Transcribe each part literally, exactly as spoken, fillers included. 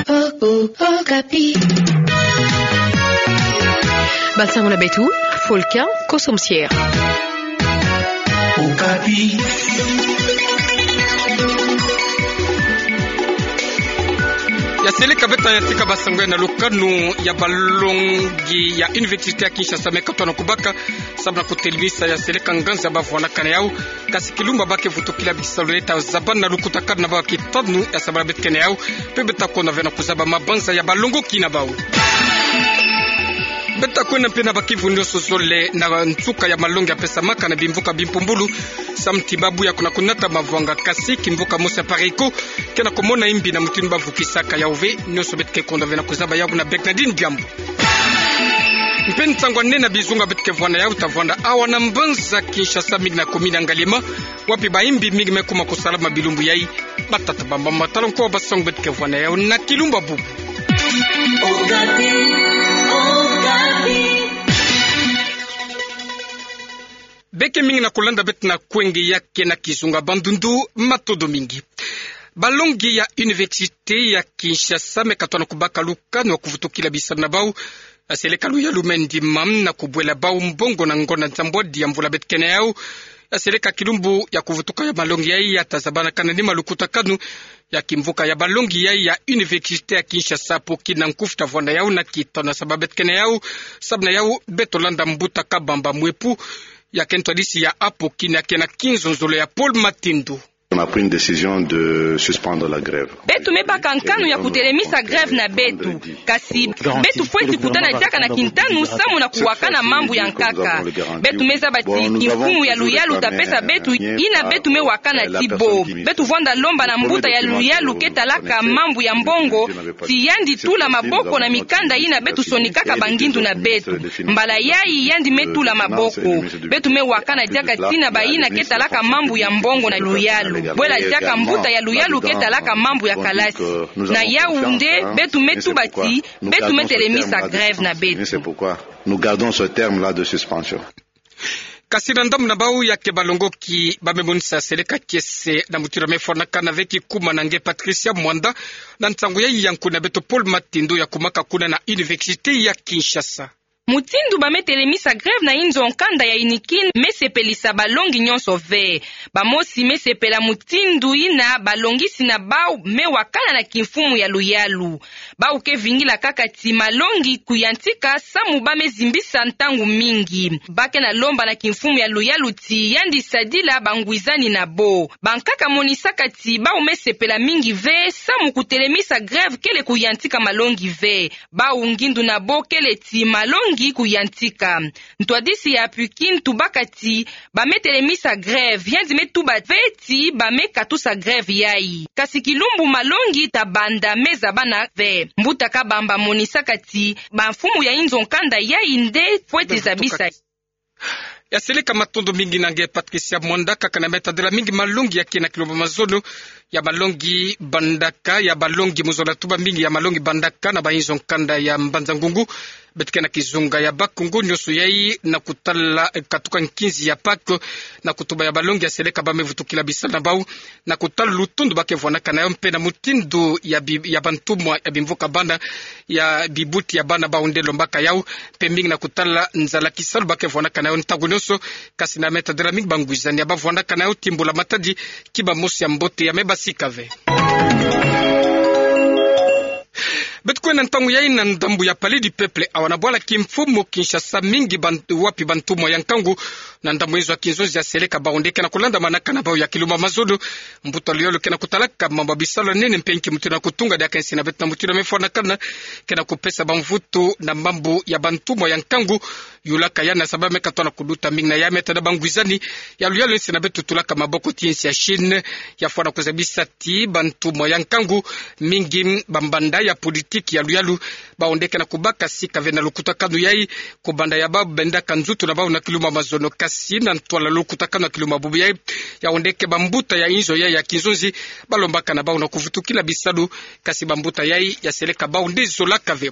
Oh, oh, Okapi. Bansango na beto, Folkin Kosomsier. Okapi. Ya seleka beto ta yantika bansango ya na lukanu ya balongi ya Université ya Kinshasa me katono kubaka, samu na kutelemisa ya seleka nganza bavwanakana yau. Kasi kilumbu ba ke vutukila bisalu, ta zaba na lukutakanu na bau ya kitanu ya sabala beto kene yau, mpe beto ta kwenda ve na kuzaba mabanza ya balongoki na bau. Beto ta kwenda mpe na bakivundu nyonso zole na nsuka ya malongi ya pesamaka na bimvuka bimpumbulu, samu ti babu ya kuna kunata mavwanga. Kasi kimvuka mosi ya Pariko ke na kumona imbi na mutindu bavukisaka yau ve. Nyonso beto ke kwenda ve na kuzaba yau na Bernardine Diambu. Mpe nsangu ya nene ya bizunga beto ke vwanda yau ta vwanda awa na mbanza Kinshasa, mingi na commune ya Ngaliema, wapi baimbi mingi me kuma kusalama bilumbu yai. Batata, bamama, tala nko bansango beto ke vwanda yau na kilumbu bubu. Okapi, Okapi. Beke mingi na kulanda beto na kwenge ya ke na kizunga Bandundu, matondo mingi. Balongi ya Université ya Kinshasa me katono kubaka lukanu ya kuvutukila bisalu na bau. Ya seleka luyalu me ndima na kubwela bau mbongo na ngonda nsambwadi ya mvula beto kene yau. Ya seleka kilumbu ya kuvutuka ya malongi yai, ya ta zabanakana nima lukutakanu ya kimvuka ya balongi yai ya Université ya Kinshasa. Apoki na nkufi ta vwanda yau na kitanu ya sabala beto kene yau, samu na yau beto landa mbuta Kabamba Mwepu, ya ke ntwadisi ya apoki na ke na kinzonzolo ya Paul Matindu. On a pris une décision de suspendre la grève. Beto me baka nkanu ya kutelemisa grève na beto. Kasi beto fweti kutana diaka na kintanu samu na kuwakana mambu ya nkaka. Beto me zaba ti kimfumu ya luyalu ta pesa beto yina beto me wakana ti bo. Beto vwanda lomba na mbuta ya luyalu ke talaka mambu ya mbongo ti yandi tula maboko na mikanda yina beto sonikaka bangindu na beto. Mbala yai yandi me tula maboko. Beto me wakana diaka tina bayina ke talaka mambu ya mbongo na luyalu. Bwela diaka mbuta ya luyalu ke talaka mambu ya kalasi. Na yau nde beto me tuba ti beto me telemisa grève na beto. Nous gardons ce terme-là de suspension. Kasi na ndambu na bau ya ke balongoki ba me monisa seleka kiese na mutindu ya me fwanakana ve kikuma na nge Patricia Mwanda, na nsangu yai ya nkuna beto Paul Matindu ya kumaka kuna na Université ya Kinshasa. Mutindu ba me telemisa grève na inzo nkanda ya UNIKIN me sepelisa balongi nyonso ve. Bamosi me sepela mutindu yina balongisi na bau me wakana na kimfumu ya luyalu. Bau ke vingila kaka ti malongi kuyantika samu ba me zimbisa ntangu mingi. Ba ke na lomba na kimfumu ya luyalu ti yandi sadila bangwizani na bo. Bankaka monisaka ti bau me sepela mingi ve samu kutelemisa grève kele kuyantika malongi ve. Bau ngindu na bo kele ti malongi kuyantika. Ntwadisi ya APUKIN tubaka ti ba me telemisa grève, yandi me tuba ve ti ba me katusa grève yai. Kasi kilumbu malongi ta banda me zabana ve. Mbuta Kabamba monisaka ti bamfumu ya inzo nkanda yai nde fweti zabisa. Ya seleka, matondo mingi na nge Patricia Mwanda. Kaka na me tadila mingi malongi ya ke na kilumbu mazono, ya malongi bandaka, ya malongi mu zola tuba mingi, ya malongi bandaka na ba inzo nkanda ya Mbanza-Ngungu. Beto ke na kizunga ya Bas-Congo, nyonso yai na kutala, eh, katuka nkinzi ya Pâques, na kutuba ya balongi ya seleka ba me vutukila bisalu na bau, na kutala lutondo ba ke vwanakana yau mpe na mutindu ya bi-, ya bantumwa ya bimvuka bana, ya bibuti ya bana bau nde lombaka yau, mpe mingi na kutala nzala kisalu ba ke vwanakana yau ntangu nyonso. Kasi na me tadila mingi bangwizani ya ba vwanakana yau ti mbula matadi, ki bamosi ya mbote ya me basika ve. Beto kwenda ntangu yai na ndambu ya Palais du Peuple, awa na bwala kimfumu Kinshasa, mingi bantu, wapi bantumwa ya nkangu na ndambu inzo ya kinzonzi ya seleka bau nde ke na kulandamanaka na bau ya kilumbu mazono. Mbuta luyalu ke na kutalaka mambu ya bisalu ya nene mpe nki mutindu na kutunga diaka insi na beto na mutindu ya me fwanakana, ke na kupesa bamvutu na mambu ya bantumwa ya nkangu. Yulaka yandi na sababu me katono kuduta mingi na ya me tada bangwizani ya luyalu, insi na beto tulaka maboko ti insi ya Chine, ya fwana kuzabisa ti bantumwa ya nkangu, mingi bambanda ya politiki ya luyalu, bau nde ke na kubaka sika ve na lukutakanu yai, kubanda ya bau bendaka nzutu na bau na kilumbu mazono. Kasi na ntwala lukutakanu ya kilumbu bubu yai, yau nde ke bambuta ya inzo yai ya kinzonzi ba lombaka na bau na kuvutukila bisalu, kasi bambuta yai ya seleka bau nde zolaka ve.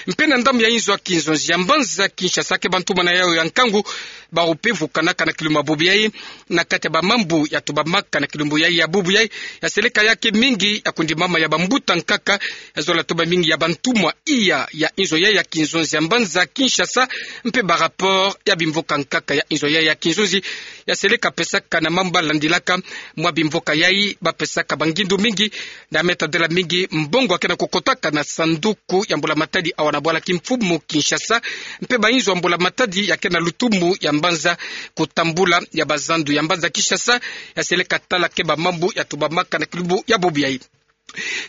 Mpe na ndambu ya inzo ya kinzonzi ya mbanza Kinshasa, ke bantumana yayo ya nkangu, bawu mpe vukanaka na kilumbu ya bubu yayi, na kati ya bamambu ya tubamaka na kilumbu yayi ya bubu yayi, ya seleka ya ke mingi ya kundimama ya bambuta nkaka, ya zola tuba mingi ya bantumwa iya ya inzo yayi ya kinzonzi ya mbanza Kinshasa, mpe ba rapport ya bimvuka nkaka ya inzo yayi ya kinzonzi, ya seleka pesaka na mambu landilaka. Mwa bimvuka yayi bapesaka bangindu mingi, na meta dela mingi mbongo ya ke na kukotaka na sanduku ya mbula matadi awa na bwala kimfumu Kinshasa, mpe bainzo ya mbula matadi ya ke na lutumu ya mbanza kutambula ya bazandu ya mbanza Kinshasa, ya seleka tala ke bamambu ya tubamaka na kilumbu ya bubu yayi.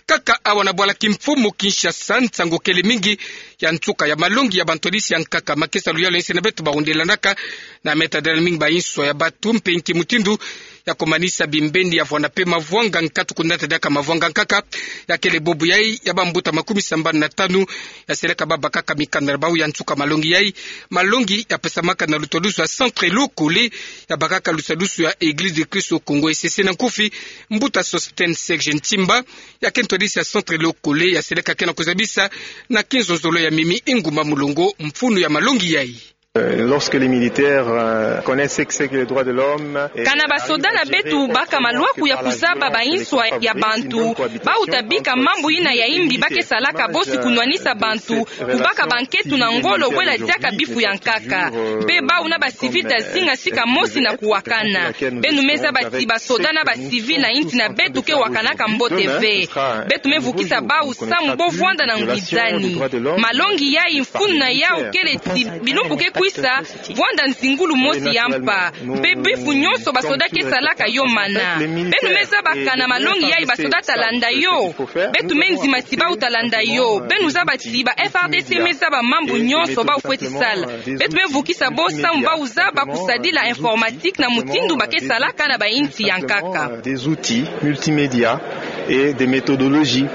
Kaka awa na bwala kimfumu Kinshasa, nsangu kele mingi ya nsuka ya malongi ya bantwadisi ya nkaka, makesa luyalu ya insi na beto barundelanaka, na meta dela mingi bainswa ya batu mpe nki mutindu ya kumanisa bimbeni ya vwanda mpe mavwanga nkatu kunata diaka mavwanga nkaka. Ya kele bubu yayi ya bambuta makumi sambanu na tanu ya seleka babakaka mikanda na bawu ya nsuka malongi yayi. Malongi ya pesamaka na lutadusu ya Centre Lokole, ya bakaka lutadusu ya Église de Christ au Congo, E C C na nkufi, mbuta Sosthène Serge Ntimba, ya ke ntwadisi ya Centre Lokole, ya seleka ke na kuzabisa na kinzonzolo ya Mimi Inguma Mulongo mfunu ya malongi yayi. Euh, lorsque les militaires, euh, connaissent ce que c'est que les droits de l'homme et... Kana basoda na beto baka malwaku ya kuzaba bainswa ya bantu, bawu ta bika mambu yina ya imbi ba ke salaka bosi kunwanisa bantu, kubaka banketu na ngolo bwela diaka bifu ya nkaka. Mpe bawu na bacivil ta zinga sika mosi na kuwakana. Beno me zaba ti basoda na bacivil na insi na beto ke wakanaka mbote ve. Beto me vukisa bawu samu bo vwanda na ngwizani. Malongi yayi mfunu na yawu kele ti bilumbu ke kwisa, vwanda nzingulu mosi ya mpa. Mpe bifu nyonso basoda ke salaka yo mana. Beno me zaba kana malongi yayi basoda ta landa yo. Beto me ndima ti bawu ta landa yo. Beno zaba ti ba F R D C me zaba mambu nyonso bawu fweti sala. Beto me vukisa bo samu bawu zaba kusadila informatique na mutindu ba ke salaka na bainsi ya nkaka. Des outils multimédia et des méthodologies.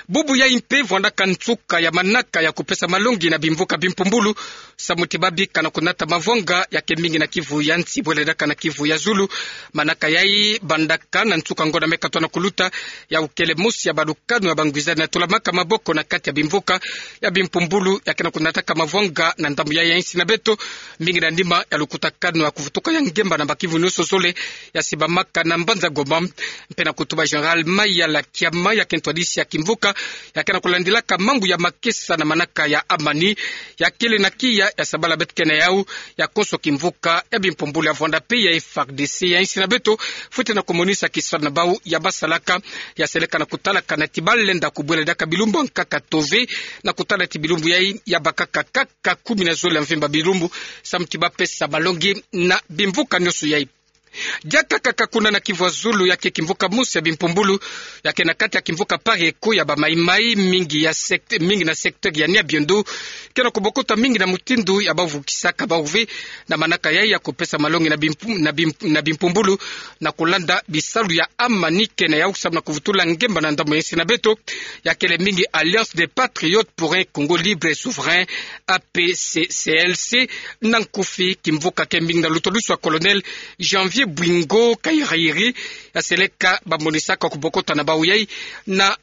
Bubu yayi mpe vwandaka nsuka ya manaka ya kupesa malongi na bimvuka bimpumbulu, samu ti babika na kunata mavwanga ya ke mingi na Kivu ya nsi bwele diaka na Kivu ya zulu. Manaka yayi bandaka na nsuka ngonda me katwa na kuluta, yawu kele mosi ya balukanu ya bangwizani na tulamaka maboko na kati ya bimvuka ya bimpumbulu ya ke na kunataka mavwanga na ndambu yayi ya insi na beto, mingi na nima ya lukutakanu ya kuvutuka ya ngemba na Bas-Kivu nyonso zole ya sibamaka na mbanza Goma. Mpe na kutuba Général Mayala Kiama, ya ke ntwadisi ya kimvuka ya ke na kulandilaka mambu ya makesa na manaka ya amani, ya kele na kiya ya sabala beto ke na yawu, ya konso kimvuka ya bimpumbulu ya vwanda mpe ya F R D C ya insi na beto fwete na kumonisa kisalu na bawu ya basalaka, ya seleka na kutalaka na ti balenda kubwela diaka bilumbu ya nkaka to ve, na kutala ti bilumbu yayi ya bakaka kaka kumi na zole ya mvimba bilumbu, samu ti bapesa malongi na bimvuka nyonso yayi. Diaka kaka kuna na Kivu ya zulu, ya ke kimvuka mosi ya bimpumbulu ya ke na kati ya kimvuka Pareko ya ba Maï-Maï, mingi ya sect-, mingi na secteur ya Nyabiondo, ke na kubokota mingi na mutindu ya bavukisaka bawu ve na manaka yayi ya kupesa malongi na bimpu-, na bim-, na bimpumbulu, na kulanda bisalu ya amani ke na yawu samu na kuvutula ngemba na ndambu ya insi na beto, ya kele mingi Alliance des Patriotes pour un Congo Libre et Souverain, A P C C L C, na nkufi. Kimvuka ke mingi na lutadusu ya Colonel Janvier Bwingo Kayirayiri, ya seleka bamonisaka kubokota na bawu yayi na,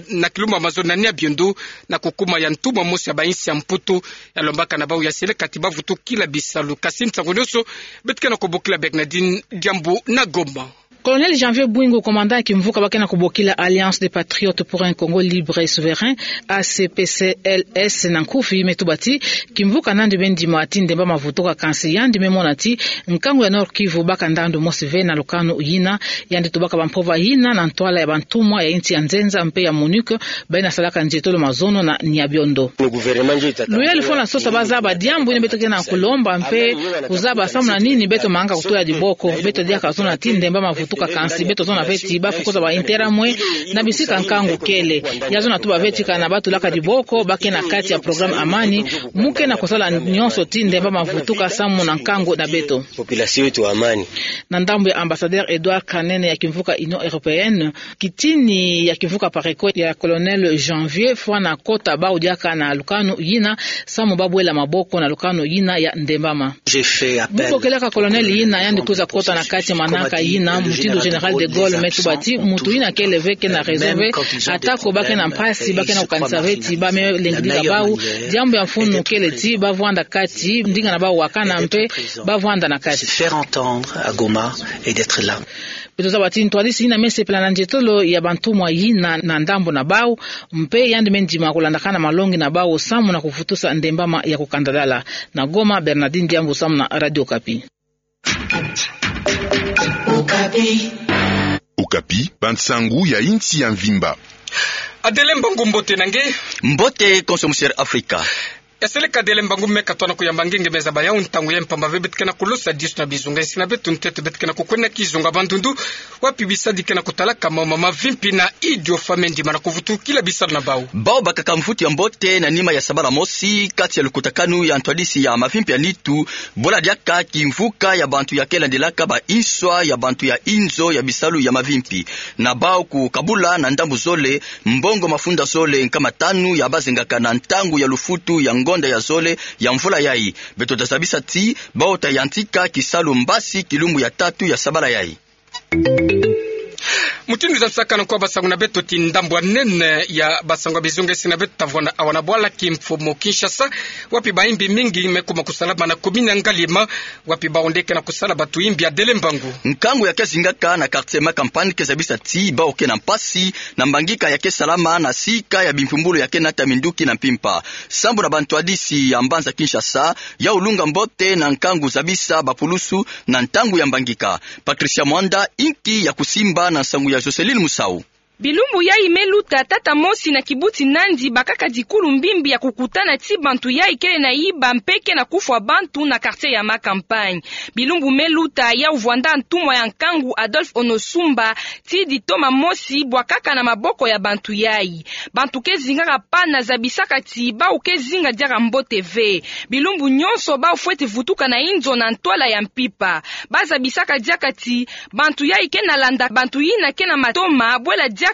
na kilumbu ya mazono na Nyabiondo, na kukuma ya ntumwa mosi ya bainsi ya Mputu, ya lombaka na bawu ya seleka ti bavutukila bisalu. Kasi nsangu nyonso, beto ke na kubokila Bernardine Diambu na Goma. Colonel Janvier Bwingo, commandant ya kimvuka ba ke na kubokila Alliance des Patriotes pour un Congo Libre et Souverain, A C P C L S na nkufi, me tuba ti kimvuka nandi me ndima ti ndemba mavutuka, kansi yandi me mona ti nkangu ya Nord-Kivu baka ndandu mosi ve na lukanu yina. Yandi tubaka bampova yina na ntwala ya bantumwa ya insi ya nzenza mpe ya MONUC, bayina salaka nzietolo mazono na Nyabiondo. Luyalu fwana sosa bazaba diambu yina beto ke na kulomba mpe kuzaba samu na nini beto mangaka kutula diboko. Beto diaka zona ti ndemba mavutuka, kansi beto zona ve ti bafukuza ba interamwe na bisika nkangu kele. Ya zona tuba ve ti kana batulaka diboko ba ke na kati ya programme Amani, mu ke na kusala nyonso ti ndemba mavutuka samu na nkangu na beto. Population yetu amani. Na ndambu ya ambassadeur Edouard Kanene ya kimvuka Union Européenne, kitini ya kimvuka Pareko ya Colonel Janvier fwana kota bawu diaka na lukanu yina, samu babwela maboko na lukanu yina ya ndembama. Mu bokelaka colonel yina yandi kwiza kota na kati ya manaka yina, mu Mutindu Général de Gaulle me tuba ti mutu yina kele ve kena raison ve, ata ko ba kena mpasi, ba kena kukanisa ve ti ba me lengidika bau, diambu ya mfunu kele ti ba vwanda kati, ndinga na bau wakana mpe ba vwanda na kati. Se faire entendre à Goma et d'être là. Beto zaba ti ntwadisi yina me sepela na nzietolo ya bantumwa yina na ndambu na bau, mpe yandi me ndima kulandakana malongi na bau samu na kuvutusa ndembama ya kukandadala. Na Goma, Bernardine Diambu samu na Radio Okapi. Okapi, bansangu ya insi ya mvimba. Adele Mbangu, mbote na nge. Mbote konso, monsieur Afrika. Eseleka Adele Mbangu, meka twana kuyamba nge, nge me zaba yau ntangu ya mpamba ve beto ke na kulosa disu na bizunga insi na beto, ntete beto ke na kukwenda kizunga Bandundu, wapi bisadi ke na kutalaka mama mavimpi na idio famille ndima na kuvutukila bisalu na bau. Bau bakaka mvutu ya mbote na nima ya sabala mosi kati ya lukutakanu ya ntwadisi ya mavimpi ya nitu, bula diaka kimvuka ya bantu ya ke landelaka ba inswa ya bantu ya inzo ya bisalu ya mavimpi, na bau kukabula na ndambu zole mbongo mafunda zole nkama tanu ya bazengaka na ntangu ya lufutu ya ngonda ya zole ya mvula yai. Beto ta zabisa ti bau ta yantika kisalu mbasi kilumbu ya tatu ya sabala yai. Mutindu zansaka na nkwa basangu na beto ti ndambu ya nene ya basangu ya bizunga insi na beto, ta vwanda awa na bwala kimfumu Kinshasa, wapi bayimbi mingi me kuma kusalama na commune ya Ngaliema, wapi bau nde ke na kusala bantu yimbi, Adele Mbangu. Nkangu ya ke zingaka na quartier Macampagne ke zabisa ti bau ke na mpasi na mbangika ya ke salama na sika ya bimpumbulu ya ke nata minduki na mpimpa. Sambu na bantwadisi ya mbanza Kinshasa, yau lunga mbote na nkangu zabisa bapulusu na ntangu ya mbangika. Patricia Mwanda, inki ya kusimba na nsangu ya Joseline Musau. Bilumbu yai me luta, tata mosi na kibuti Nandi bakaka dikulu mbimbi ya kukutana ti bantu yai kele na yiba mpe ke na kufwa bantu na quartier ya Macampagne. Bilumbu me luta, yau vwanda ntumwa ya nkangu Adolphe Onosumba ti ditoma mosi bwakaka na maboko ya bantu yai. Bantu ke zingaka pana zabisaka ti bau ke zinga diaka mbote ve. Bilumbu nyonso bau fweti vutuka na inzo na ntwala ya mpimpa. Ba zabisaka diaka ti bantu yai ke na landa bantu yina ke na matoma, bwela diaka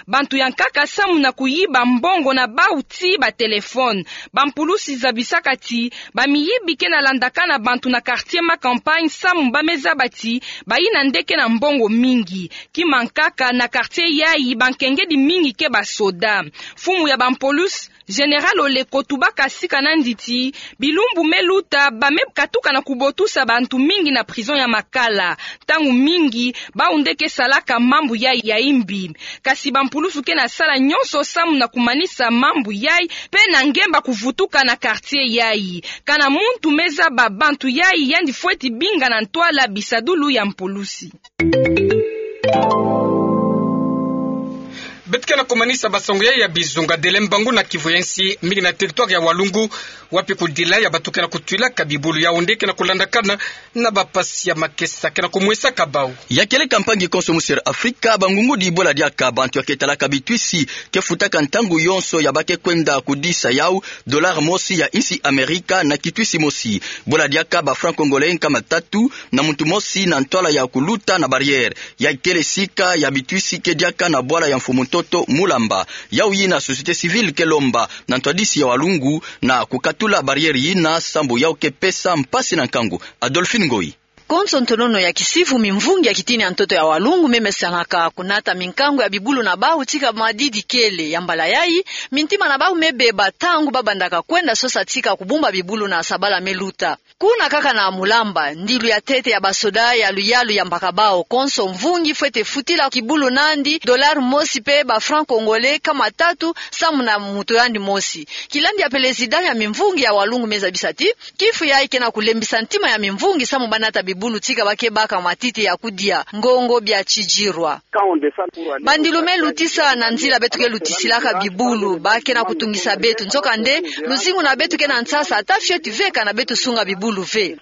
bantu ya nkaka samu na kuyiba mbongo na bau ti batelefone. Bampulusi zabisaka ti bamiyibi ke na landakana bantu na quartier Macampagne samu ba me zaba ti bayina nde ke na mbongo mingi. Kima nkaka na quartier yai, bankengedi mingi ke basoda. Mfumu ya bampulusi, Général Oleko, tubaka sika Nandi ti bilumbu me luta ba me katuka na kubotusa bantu mingi na prison ya Makala. Ntangu mingi bau nde ke salaka mambu yai ya yimbi. Kasi bampulusu ke na sala nyonso samu na kumanisa mambu yai mpe na ngemba kuvutuka na quartier yai. Kana muntu me zaba bantu yai, yandi fweti binga na ntwala bisadulu ya mpulusi. Beto ke na kumanisa basangu yai ya bizunga, Adele Mbangu, na Kivu ya nsi, mingi na territoire ya Walungu, wapi kudila ya bantu ke na kutwilaka bibulu yau nde ke na kulandakana na bampasi ya makesa ke na kumwesaka bau. Ya kieleka mpangi konso, monsieur Afrika, bangungudi bwela diaka bantu ya ke talaka bitwisi ke futaka ntangu yonso ya ba ke kwenda kudisa yau dollar mosi ya insi Amerika na kitwisi mosi. Bwela diaka ba franc congolais nkama tatu na muntu mosi na ntwala ya kuluta na barrière. Yai kele sika ya bitwisi ke diaka na bwala ya mfumu ntoto Mulamba. Yau yina société civile ke lomba na ntwadisi ya Walungu na kukatula barrière yina sambu yau ke pesa mpasi na nkangu. Adolphine Ngoyi. Konso ntonono ya kisifu, mimvungi ya kitini ya ntoto ya Walungu me mesanaka kunata minkangu ya bibulu na bau tika madidi kele. Ya mbala yai, mintima na bau me beba ntangu ba bandaka kwenda sosa tika kubumba bibulu na sabala me luta. Kuna kaka na Mulamba, ndilu ya ntete ya basoda ya luyalu yambaka bau konso mvungi fwete futila kibulu nandi dollar mosi mpe ba franc congolais nkama tatu samu na muntu yandi mosi. Kilandi ya président ya mimvungi ya Walungu me zabisa ti kifu yai ke na kulembisa ntima ya mimvungi samu ba nata bibulu tika ba ke baka matiti ya kudia, ngongo bia tidirwa. Bandilu me lutisa na nzila beto ke lutisilaka bibulu, ba ke na kutungisa beto. Nzokande, luzingu na beto ke na nsasa, ata fioti ve kana beto sunga bibulu ve.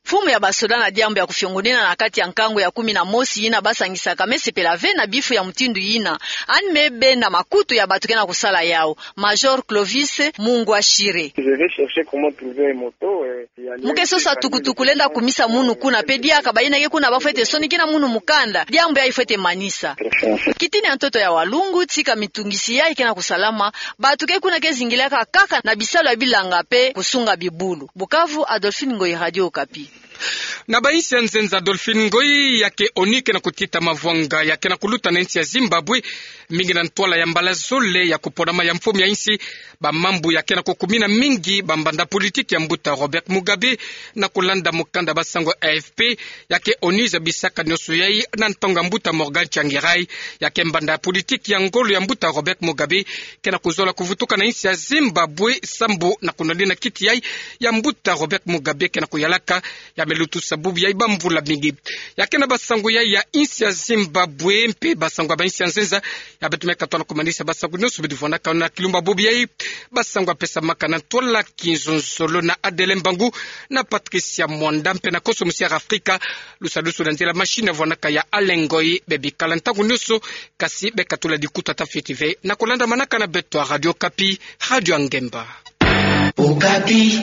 Mfumu ya basoda na diambu ya kufiongonena na kati ya nkangu ya kumi na mosi yina ba sangisaka me sepela ve na bifu ya mutindu yina. Yandi me benda makutu ya bantu ke na kusala yau. Major Clovis Mungwashire. Mu ke sosa tukutuku lenda kumisa munu kuna, mpe diaka bayina ke kuna ba fwete sonikina munu mukanda, diambu yai fwete manisa. Kitini ya ntoto ya Walungu tika mitungisi yai ke na kusalama, bantu ke kuna ke zingilaka kaka na bisalu ya bilanga mpe kusunga bibulu. Bukavu, Adolphine Ngoyi, Radio Okapi. Na bainsi ya nzenza Adolphine Ngoyi, ya ke ONU ke na kutita mavwanga ya ke na kuluta na insi ya Zimbabwe, mingi na ntwala ya mbala zole ya kupona mai ya mfumu ya insi, bamambu ya ke na kukumina mingi bambanda politiki ya mbuta Robert Mugabe. Na kulanda mukanda basango ya A F P, ya ke ONU zabisaka nioso yai na ntangu ya mbuta Morgan Tsvangirai, ya ke mbanda ya politiki ya ngolo ya mbuta Robert Mugabe, ke na kuzola kuvutuka na insi ya Zimbabwe sambu na kunwalina kiti yai ya mbuta Robert Mugabe ke na kuyalaka, ya me lutusa bubu yai bamvula mingi. Ya ke na basango yai ya insi ya Zimbabwe mpe basango ya bainsi ya nzenza, ya beto me katoa na kumanisa basango nioso beto vwanakana kilumbu bubu yai. Basango ya pesamaka na ntwala ya kinzonzolo na Adele Mbangu, na Patricia Mwanda mpe na Koso Musiara Afrika. Lusalusu na nzila machine vwanaka ya Alain Ngoyi. Bebikala ntangu nioso, kasi bekatula dikuta ta fioti ve na kulandamanaka na beto ya Radio Okapi, radio ya ngemba. Okapi.